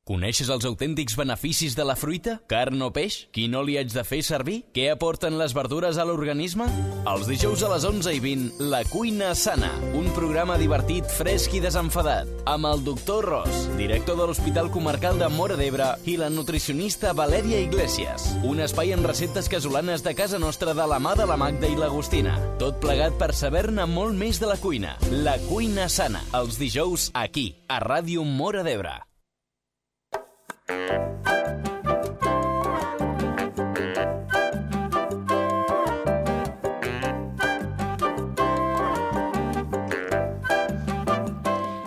Coneixes els autèntics beneficis de la fruita? Carn o peix? Quin oli haig de fer servir? Què aporten les verdures a l'organisme? Els dijous a les 11:20, La Cuina Sana, un programa divertit, fresc i desenfadat, amb el doctor Ros, director de l'Hospital Comarcal de Móra d'Ebre, i la nutricionista Valèria Iglesias. Un espai amb receptes casolanes de casa nostra de la mà de la Magda i l'Agustina. Tot plegat per saber-ne molt més de la cuina. La Cuina Sana, els dijous aquí, a Ràdio Móra d'Ebre.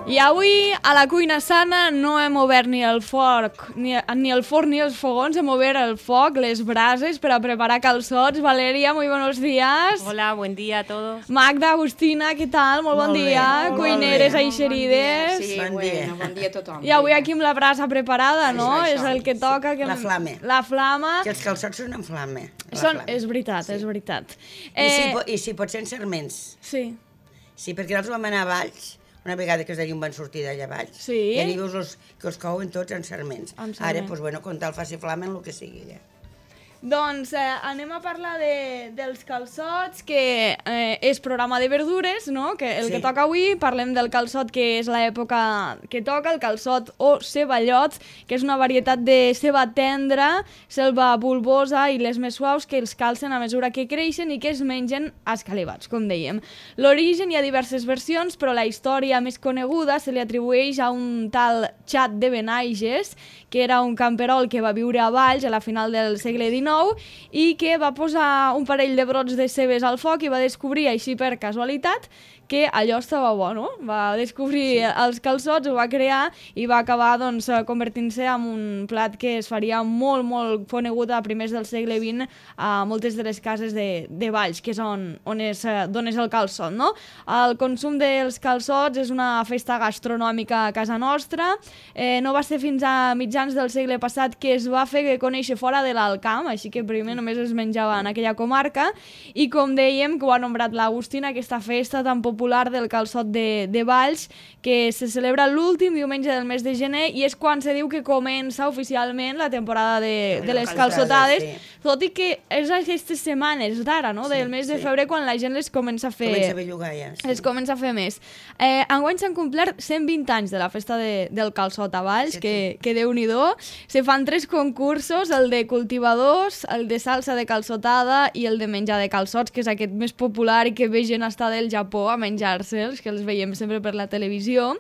I avui, a la Cuina Sana, no hem obert ni el forn ni els fogons, hem obert el foc, les brases, per a preparar calçots. Valeria, muy buenos días. Hola, buen día a todos. Magda, Agustina, què tal? Molt bon dia. Cuineres eixerides. Sí, bon dia a tothom. I avui aquí amb la brasa preparada, no? És el que toca. La flama. La flama. Que els calçots són en flama. És veritat, és veritat. I si pot ser en serments. Sí. Sí, perquè nosaltres vam anar a Valls, una vegada que els van sortir d'allà a Valls, sí. I allà veus que els couen tots en serments. Ara, doncs, bueno, quan tal faci flama en el que sigui, ja. Doncs anem a parlar dels calçots, que és programa de verdures, no? Que que toca avui, parlem del calçot, que és l'època que toca, el calçot o ceballot, que és una varietat de ceba tendra, selva bulbosa i les més suaus que els calcen a mesura que creixen i que es mengen escalivats, com dèiem. L'origen hi ha diverses versions, però la història més coneguda se li atribueix a un tal Xat de Benaiges, que era un camperol que va viure a Valls a la final del segle XIX i que va posar un parell de brots de cebes al foc i va descobrir, així per casualitat, que allò estava bo, no? Va descobrir els calçots, ho va crear i va acabar doncs, convertint-se en un plat que es faria molt, molt conegut a primers del segle XX a moltes de les cases de Valls, que és on és el calçot, no? El consum dels calçots és una festa gastronòmica a casa nostra. No va ser fins a mitjans del segle passat que es va fer conèixer fora de l'Alt Camp, així que primer només es menjava en aquella comarca i, com dèiem, que ho ha nombrat l'Agustina, aquesta festa tan popular del calçot de Valls, que se celebra l'últim diumenge del mes de gener i és quan se diu que comença oficialment la temporada de les calçotades, tot i que és aquestes setmanes d'ara, no? Del mes de febrer, quan la gent les comença a fer... Comença a bellugar ja. Es comença a fer més. Enguany s'han complert 120 anys de la festa del calçot a Valls, que Déu-n'hi-do. Se fan 3 concursos, el de cultivadors, el de salsa de calçotada i el de menjar de calçots, que és aquest més popular i que ve gent hasta del Japó a menjar-se'ls, que els veiem sempre per la televisió.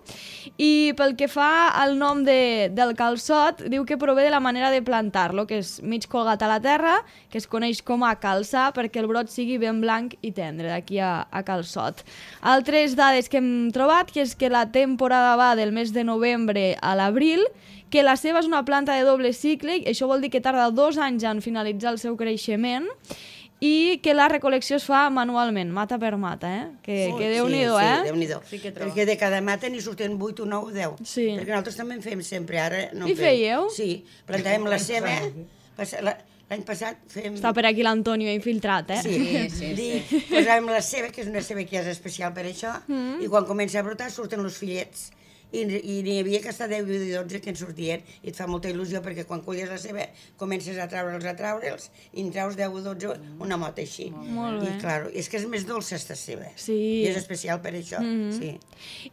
I pel que fa al nom del calçot, diu que prové de la manera de plantar-lo, que és mig colgat a la terra, que es coneix com a calçar, perquè el brot sigui ben blanc i tendre, d'aquí a calçot. Altres dades que hem trobat, que és que la temporada va del mes de novembre a l'abril, que la ceba és una planta de doble cicle, i això vol dir que tarda 2 anys en finalitzar el seu creixement, i que la recol·lecció es fa manualment, mata per mata, que Déu-n'hi-do, Sí, Déu-n'hi-do. Perquè de cada mata n'hi surten 8 o 9 o 10. Sí. Perquè nosaltres també en fem sempre, ara no en I fèieu? Sí, plantàvem la ceba, l'any passat fem... Està per aquí l'Antonio infiltrat, Sí. Posàvem la ceba, que és una ceba que és especial per això, i quan comença a brotar surten els fillets. I n'hi havia que està 10 i 12 que en sortien, i et fa molta il·lusió perquè quan culles la ceba comences a treure'ls i en treus 10 o 12 una mota així. Molt bé. I clar, és que és més dolça esta ceba. Sí. I és especial per això, sí.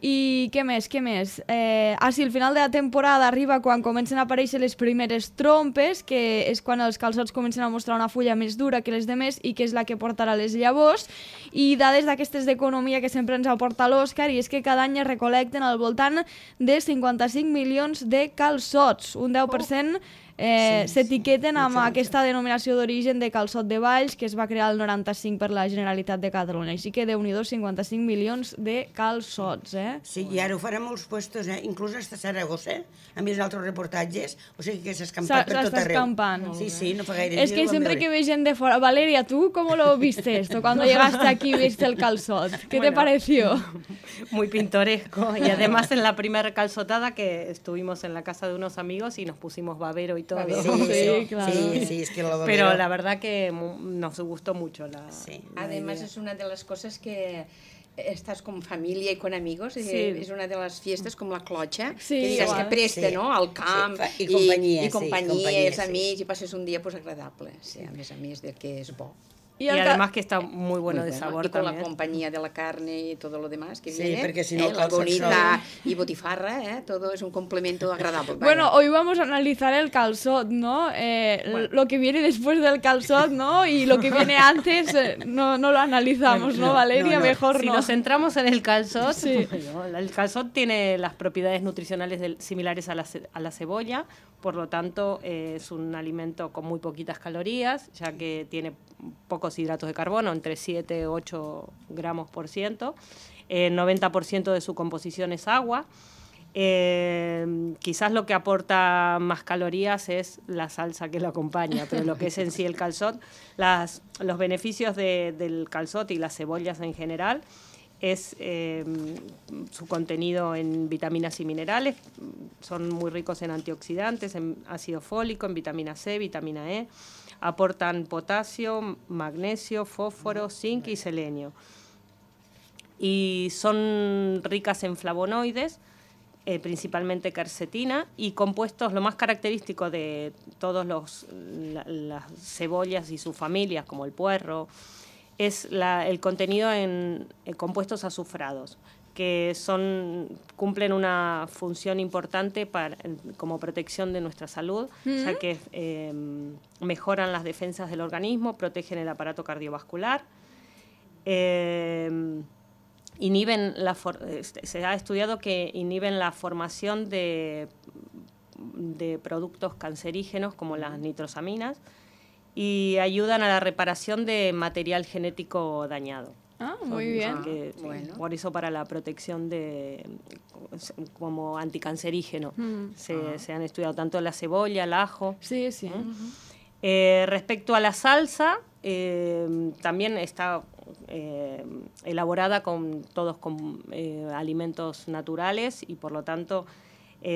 I què més? Sí, el final de la temporada arriba quan comencen a aparèixer les primeres trompes, que és quan els calçots comencen a mostrar una fulla més dura que les demés i que és la que portarà les llavors. I dades d'aquestes d'economia que sempre ens aporta l'Òscar, i és que cada any es recolecten al voltant de 55 milions de calçots, un 10% s'etiqueten amb aquesta denominació d'origen de calçot de Valls, que es va crear el 95 per la Generalitat de Catalunya. Així que Déu-n'hi-do, 55 milions de calçots, Sí, i ara ho farà molts puestos, inclús hasta Saragossa, han vist altres reportatges, o sigui que s'ha escampat per tot arreu. S'està escampant. Sí, no fa gaire Es que siempre que ve gente de fuera... Valeria, ¿tú cómo lo viste esto? Cuando llegaste aquí y viste el calzot, ¿qué te pareció? Muy pintoresco. Y además en la primera calzotada que estuvimos en la casa de unos amigos y nos pusimos babero y todo. Sí, claro. Sí, es que lo babero... Pero la verdad que nos gustó mucho la Además es una de las cosas que estás con familia y con amigos, Sí. es una de las fiestas como la clocha, Sí, que digas igual. que presta, Sí. no?, al camp, Sí, i companyia, i sí, companyia, companyia, els sí. amics, i passes un dia pues, agradable, sí, a més de que és bo. Y además que está muy bueno Muy de sabor y con también. la compañía de la carne y todo lo demás que Sí, viene, porque si no, la calza bonita y botifarra, todo es un complemento agradable. Bueno, hoy vamos a analizar el calzot, ¿no? Lo que viene después del calzot, ¿no? Y lo que viene antes no lo analizamos, ¿no, Valeria? Mejor Si no. nos centramos en el calzot, Sí. bueno, el calzot tiene las propiedades nutricionales similares a la cebolla, por lo tanto es un alimento con muy poquitas calorías, ya que tiene pocos hidratos de carbono, entre 7 y 8 gramos por ciento. 90% de su composición es agua. Quizás lo que aporta más calorías es la salsa que lo acompaña, pero lo que es en sí el calzot, los beneficios del calzot y las cebollas en general es su contenido en vitaminas y minerales, son muy ricos en antioxidantes, en ácido fólico, en vitamina C, vitamina E, aportan potasio, magnesio, fósforo, zinc y selenio. Y son ricas en flavonoides, principalmente quercetina, y compuestos, lo más característico de todas las cebollas y sus familias, como el puerro, es el contenido en compuestos azufrados, que cumplen una función importante como protección de nuestra salud, ya que mejoran las defensas del organismo, protegen el aparato cardiovascular, se ha estudiado que inhiben la formación de productos cancerígenos como las nitrosaminas y ayudan a la reparación de material genético dañado. Ah, muy bien. Bueno. Por eso para la protección como anticancerígeno se han estudiado tanto la cebolla, el ajo. Sí, sí. Respecto a la salsa, también está elaborada con alimentos naturales y por lo tanto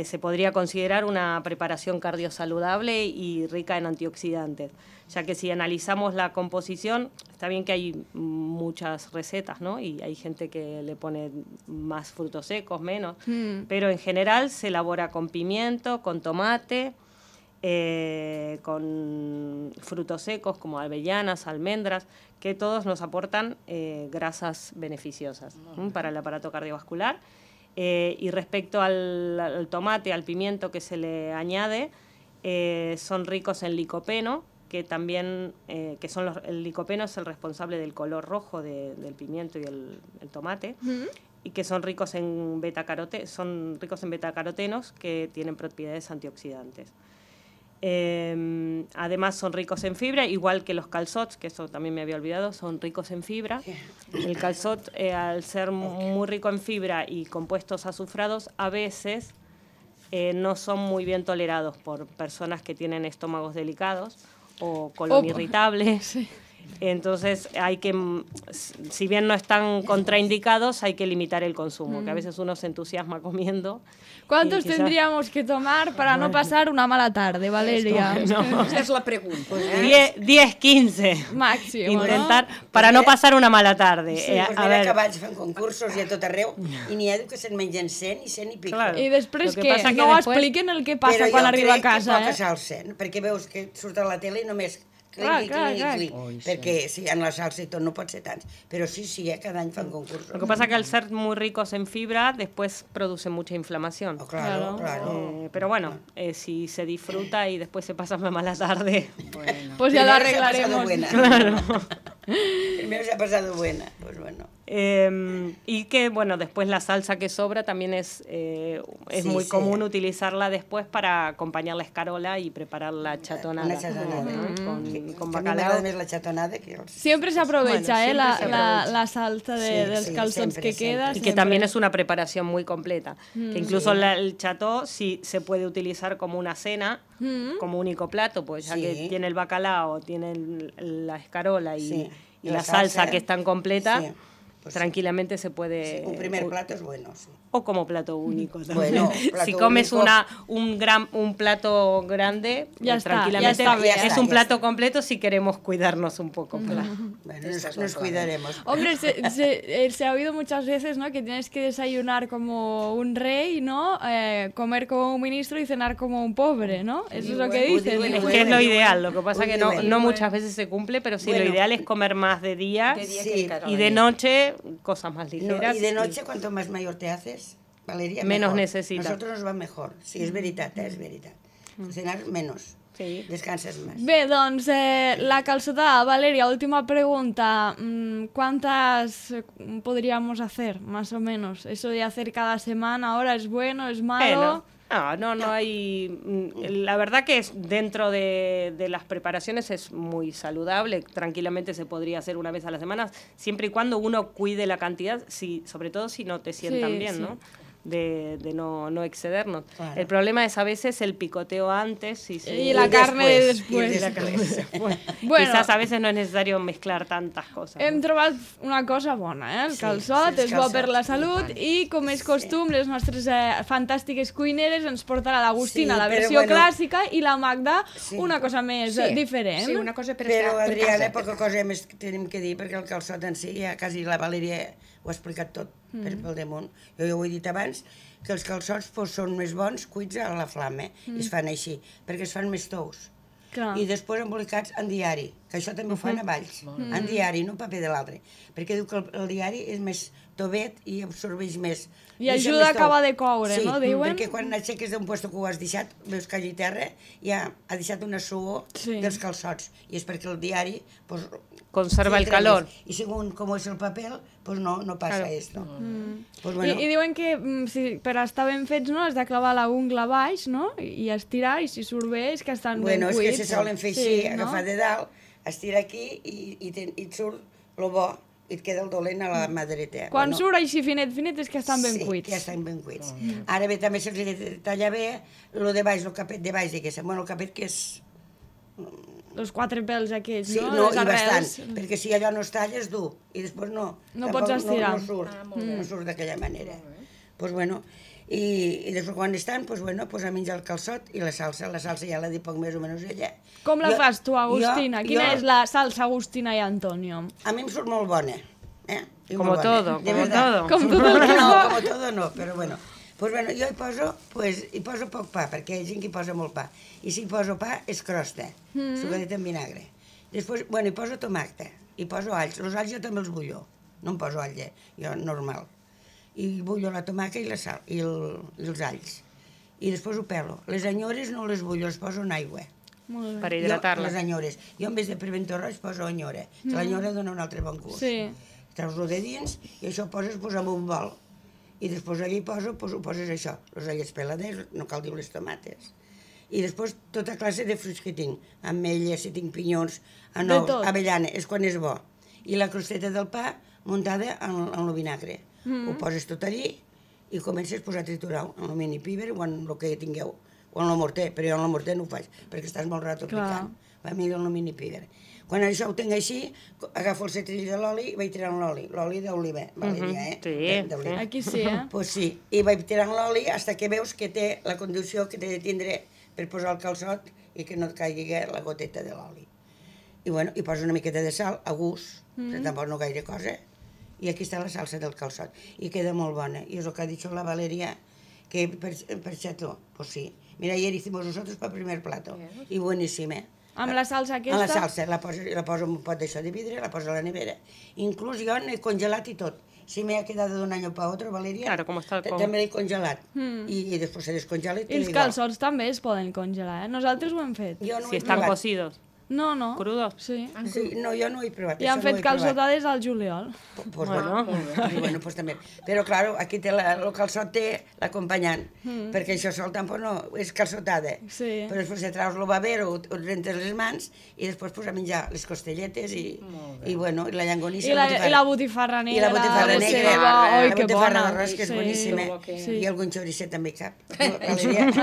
se podría considerar una preparación cardiosaludable y rica en antioxidantes, ya que si analizamos la composición, está bien que hay muchas recetas, ¿no? Y hay gente que le pone más frutos secos, menos, pero en general se elabora con pimiento, con tomate, con frutos secos como avellanas, almendras, que todos nos aportan grasas beneficiosas para el aparato cardiovascular. Y respecto al tomate, al pimiento que se le añade, son ricos en licopeno, que también el licopeno es el responsable del color rojo del pimiento y el tomate, y que son ricos en betacarotenos que tienen propiedades antioxidantes. Además son ricos en fibra, igual que los calzots, que eso también me había olvidado, son ricos en fibra. El calzot, al ser muy rico en fibra y compuestos azufrados, a veces no son muy bien tolerados por personas que tienen estómagos delicados o colon irritable. Sí. Entonces si bien no están contraindicados, hay que limitar el consumo, que a veces uno se entusiasma comiendo. ¿Cuántos tendríamos que tomar para no pasar una mala tarde, Valeria? Esa es la pregunta. 10, 15. Máximo, intentar, para no pasar una mala tarde. Sí, doncs mira que vaig fent concursos i a tot arreu, i n'hi ha que se'n mengen 100 i 100 i pico. Claro. I després Lo que pasa no que después... expliquen el que passa quan arriba a casa, Però jo crec que poca salsa, perquè veus que surt a la tele i només clic, perquè si en la salsa i tot no pot ser tants. Però sí, cada any fan concursos. Lo que pasa que al ser muy ricos en fibra, después producen mucha inflamación. Claro. Pero bueno, si se disfruta y después se pasa una mala tarde... Bueno. Pues ya lo arreglaremos. Claro. Primero se ha pasado buena, pues bueno. Y que, bueno, después la salsa que sobra también es muy común utilizarla después para acompañar la escarola y preparar la chatonada. Una chatonada. Con bacalao. A mi m'agrada més la chatonada que els... Siempre se aprovecha, bueno, la salsa dels calzots que queda. Y que también es una preparación muy completa. Que incluso el cható sí se puede utilizar como una cena, como único plato, pues ya que tiene el bacalao, tiene la escarola y la salsa que es tan completa. Sí. tranquilamente se puede... Un primer plato es bueno, sí. O como plato único también. Bueno, plato si comes único. un plato grande, Ya está, tranquilamente ya está, es ya un está. plato completo si queremos cuidarnos un poco. Bueno, nos cuidaremos. Hombre, se ha oído muchas veces, ¿no? Que tienes que desayunar como un rey, ¿no? Comer como un ministro y cenar como un pobre, ¿no? Eso es lo que dicen. bueno, Que es lo ideal, lo que pasa que no muchas veces se cumple, pero sí, Bueno. lo ideal es comer más de día Sí. y de noche cosas más No, ligeras. y de noche, cuanto más mayor te haces, Valeria, Menos mejor. necesitas. Nosotros nos va mejor. Sí, és veritat, és veritat. Cenar menos. Sí. Descanses más. Bé, doncs, la calçotada, Valeria, última pregunta. ¿Cuántas podríamos hacer, más o menos? Eso de hacer cada semana, ahora es bueno, es malo... No hay... La verdad que es dentro de las preparaciones es muy saludable, tranquilamente se podría hacer una vez a la semana, siempre y cuando uno cuide la cantidad, sobre todo si no te sientan Sí, bien, sí. ¿no? De no excedernos. Claro. El problema es a veces el picoteo antes Y la carne después. Y la carne después. Bueno, Quizás a veces no es necesario mezclar tantas cosas. hem trobat una cosa bona, el Sí, calçot, sí, és bo per la calçot, salut i com és costum, les nostres fantàstiques cuineres ens porten a l'Agustina, Sí, la però versió bueno, clàssica, i la Magda sí. una cosa més diferent. Sí, una cosa per Però, estar per Adriana, casa. poca cosa més tenim que dir, perquè el calçot en si, ja quasi la Valeria ho ha explicat tot pel damunt. Jo ja ho he dit abans, que els calçots són més bons cuits a la flama, i es fan així, perquè es fan més tous. Clar. I després embolicats en diari, que això també ho fan a Valls, en diari, no en paper de l'altre, perquè diu que el diari és més tovet i absorbeix més. I deixa ajuda més a acabar tou. de coure, sí, no, diuen? perquè quan aixeques d'un puesto que ho has deixat, veus que allí terra ja ha deixat una suor dels calçots, i és perquè el diari pues, Conserva el filtra calor. més. I según com és el paper, pues no passa Claro. esto. Pues I diuen que per estar ben fets, no, has de clavar la ungla baix, no?, i estirar, i si surt bé és que estan ben Bueno, és cuits. que se solen fer així, agafar de dalt, estirar aquí i et surt lo bo, i et queda el dolent a la mà dreta. Quan surt així finet és que estan ben cuits. Sí, que ja estan ben cuits. Ara bé, també se'ls ha de tallar bé el de baix, el capet de baix, diguéssim. Bueno, el capet que és... Els quatre pels aquests, Sí, no? no, Les i arrels. bastant, perquè si allò no es talla és dur, i després no. No tampoc pots estirar. No surt, no surt d'aquella manera. Pues bueno, i després quan estan, pues bueno, pues a menjar el calçot i la salsa ja l'ha dit poc més o menys ella. Com la fas tu, Agustina? Quina és la salsa Agustina i Antonio? A mi em surt molt bona, I Como molt bona, todo, de como verdad. todo. Com tot el que No, fa. com todo no, però bueno. Pues bueno, jo hi poso poc pa, perquè hi ha gent que hi posa molt pa. I si hi poso pa, és crosta, sucadet amb vinagre. Després, bueno, hi poso tomàquet, hi poso alls. Els alls jo també els bullo, no em poso all, jo normal. I bullo la tomàquet i la sal, i els alls. I després ho pelo. Les anyores no les bullo, les poso en aigua. Molt bé. Per Les hidratar-la. anyores. Jo en vez de pimiento roig poso anyora. L'anyora dona un altre bon gust. Sí. Treus-lo de dins i això ho poses en un bol. I després allà hi poso, ho poses això, els allets peladers, no cal dir les tomates. I després tota classe de fruits que tinc, ametlles, si tinc pinyons, anous, tot. avellana, és quan és bo. I la crosteta del pa muntada en el vinagre. Ho poses tot allí i comences a triturar en el mini píber o en el que tingueu, o en el morter, però jo en el morter no ho faig, perquè estàs molt rato picant. Va millor en el mini píber. Quan això ho tinc així, agafo el cetrill de l'oli i vaig tirant l'oli d'oliva, Valeria, Sí, Aquí sí, Pues sí, i vaig tirant l'oli fins que veus que té la condició que té de tindre per posar el calçot i que no et caigui la goteta de l'oli. I bueno, hi poso una miqueta de sal, a gust, però tampoc no gaire cosa, i aquí està la salsa del calçot, i queda molt bona. I és el que ha dit la Valeria, que per xató, pues sí. Mira, ayer hicimos nosotros para el primer plato, y buenísima. Amb la salsa aquesta? Amb la salsa, la poso en un pot d'això de vidre, la poso a la nevera. Inclús jo n'he congelat i tot. Si me ha quedado de un año para otro, Valeria, Claro, como está el també l'he congelat. I després se descongela i I els calçots també es poden congelar, Nosaltres ho hem fet. Jo no ho Si he están provat. cocidos. No, no. Crudos. Sí. Sí, no, jo no ho he provat. I han això no ho fet he provat. calçotades al juliol. Pues bueno, bueno, pues també. Però, claro, aquí té el calçot té l'acompanyant, perquè això sol tampoc no, és calçotada. Sí. Però després se traus el baver o et rentes les mans i després pues, a menjar les costelletes i bueno, i la llangonissa. I la botifarra negra. I la botifarra de negra, ceba. Oi, la que botifarra bona. d'arròs, que és boníssima. Sí. I algun xoricet també cap. La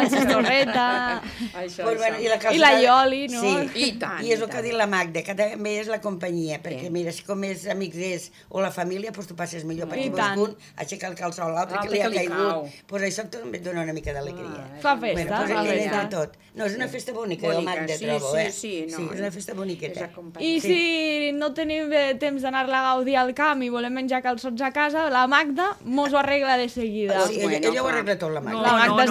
xistorreta. Això, Pues bueno, això. I la ioli, no? Sí. I tant. tant. I és el que ha dit la Magda, que també és la companyia, perquè mira, si com és amics és o la família, doncs tu passes millor, perquè vols un aixecar el calçó a l'altre que li ha caigut. Doncs això també et dona una mica d'alegria. Fa festa, fa festa. Tot. No, és una festa bonica, la Magda, trobo, eh? Sí, és una festa boniqueta. I si no tenim temps d'anar-la a gaudir al camp i volem menjar calçots a casa, la Magda mos ho arregla de seguida. Sí, ella ho arregla tot, la Magda.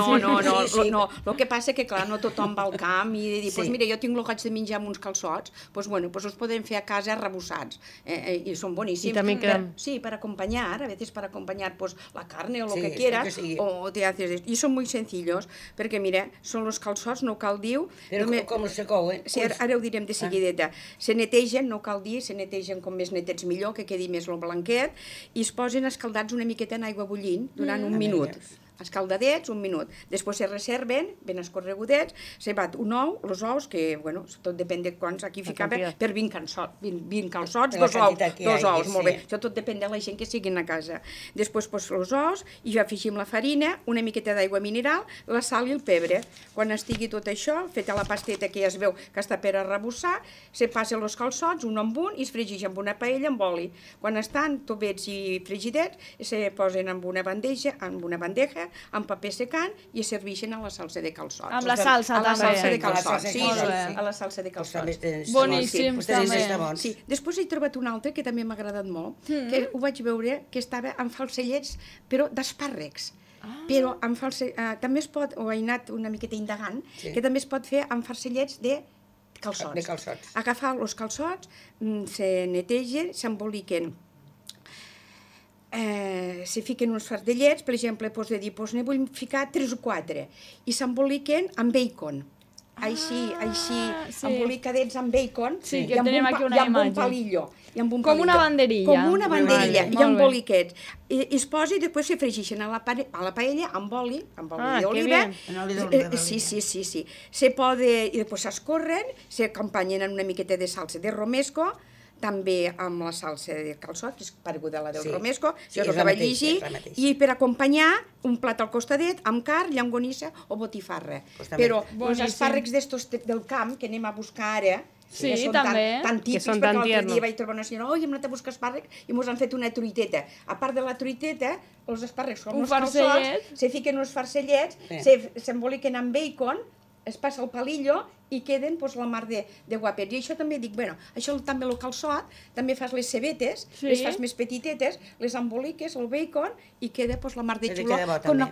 No. El que passa que, clar, no tothom va al camp i dir, doncs mira, jo tinc el goig de menjar amb uns calçots, doncs bueno, us podem fer a casa arrebossats, i són boníssims. I també queden... Sí, per acompanyar, a veces para acompañar pues la carne o lo que quieras, o te haces... Y son muy sencillos, perquè mira, són els calçots, no cal dir... Però com els secouen? Sí, ara ho direm de seguideta. Se netegen, no cal dir, se netegen com més netets millor, que quedi més el blanquet, i es posen escaldats una miqueta en aigua bullint durant un minut. Escaldadets, un minut. Després se reserven, ben escorregudets, se bat un ou, els ous, que, bueno, tot depèn de quants, aquí ficava per 20 calçots, dos ous, molt bé. Això tot depèn de la gent que siguin a casa. Després, els ous, i ja afegim la farina, una miqueta d'aigua mineral, la sal i el pebre. Quan estigui tot això, feta la pasteta que ja es veu que està per arrebossar, se passa els calçots, un amb un, i es fregeix amb una paella amb oli. Quan estan tobets i fregidets, se posen amb una bandeja, amb paper secant, i es serveixen a la salsa de calçots. Amb la salsa, també. A la salsa de calçots, sí, a la salsa de calçots. Boníssim, també. Sí, després he trobat un altre que també m'ha agradat molt, que ho vaig veure que estava amb falsellets, però d'espàrrecs. Però també es pot, o he anat una miqueta indagant, que també es pot fer amb farcellets de calçots. Agafar els calçots, se netegen, s'emboliquen, se fiquen uns fardellets, per exemple, de dir, ne vull ficar 3 o 4, i s'emboliquen amb bacon. Així, embolicadets amb bacon, i amb un palillo. Com una banderilla. Com una banderilla, i amb boliquets. I es posa i després se fregeixen a la paella amb oli d'oliva. Sí. Se posa, i després s'escorren, s'acompanyen amb una miqueta de salsa de romesco, també amb la salsa de calçot, que és pareguda a la del romesco, jo és el que vaig llegir, i per acompanyar un plat al costadet amb carn, llonganissa o botifarra. Però els espàrrecs d'estos del camp, que anem a buscar ara, sí, també. Tan típics, perquè l'altre dia vaig trobar una senyora, hem anat a buscar espàrrecs i mos han fet una truiteta. A part de la truiteta, els espàrrecs com els calçots, se fiquen uns farcellets, s'emboliquen amb bacon, es passa el palillo i queden la mar de guapets. I això també dic, bueno, això també el calçot, també fas les cebetes, les fas més petitetes, les emboliques, el bacon, i queda la mar de xulo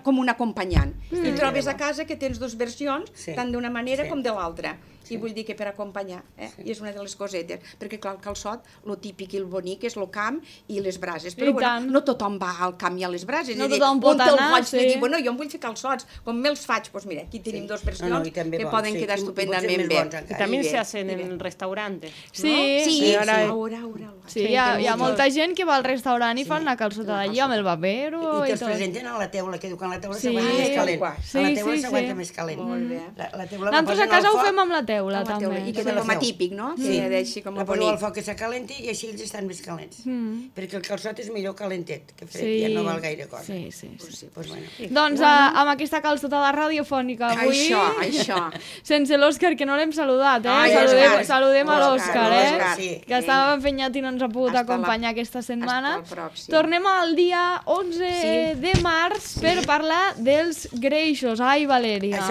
com un acompanyant. I trobes a casa que tens dues versions, tant d'una manera com de l'altra. I vull dir que per acompanyar, i és una de les cosetes, perquè clar, el calçot, el típic i el bonic és el camp i les brases, però no tothom va al camp i a les brases, no tothom pot anar, bueno, jo em vull fer calçots, com me'ls faig, doncs mira, aquí tenim dues versions que poden quedar estupendament bé. Y también se hacen en restaurantes, ¿no? Sí, hi ha molta gent que va al restaurant i fan la calçota d'allí amb el vapero i tot. I te'ls presenten a la teula, que diu que a la teula s'aguanta més calent. A la teula s'aguanta més calent. Nosaltres a casa ho fem amb la teula, també. I queda com a típic, no? Sí, la poso al foc que s'acalenti i així ells estan més calents. Perquè el calçot és millor calentet, que fred, ja no val gaire cosa. Doncs amb aquesta calçotada radiofònica avui, sense l'Òscar, que no l'hem saludat, saludem a l'Òscar, que estava empenyat i no ens ha pogut acompanyar aquesta setmana. Tornem al dia 11 de març per parlar dels greixos. Ai, Valèria.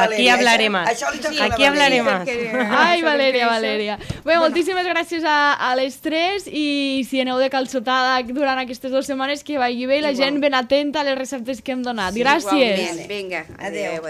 Aquí hablaré más. Aquí hablaré más. Ai, Valèria. Bé, moltíssimes gràcies a les tres, i si aneu de calçotada durant aquestes 2 setmanes, que vagi bé i la gent ben atenta a les receptes que hem donat. Gràcies. Vinga, adeu.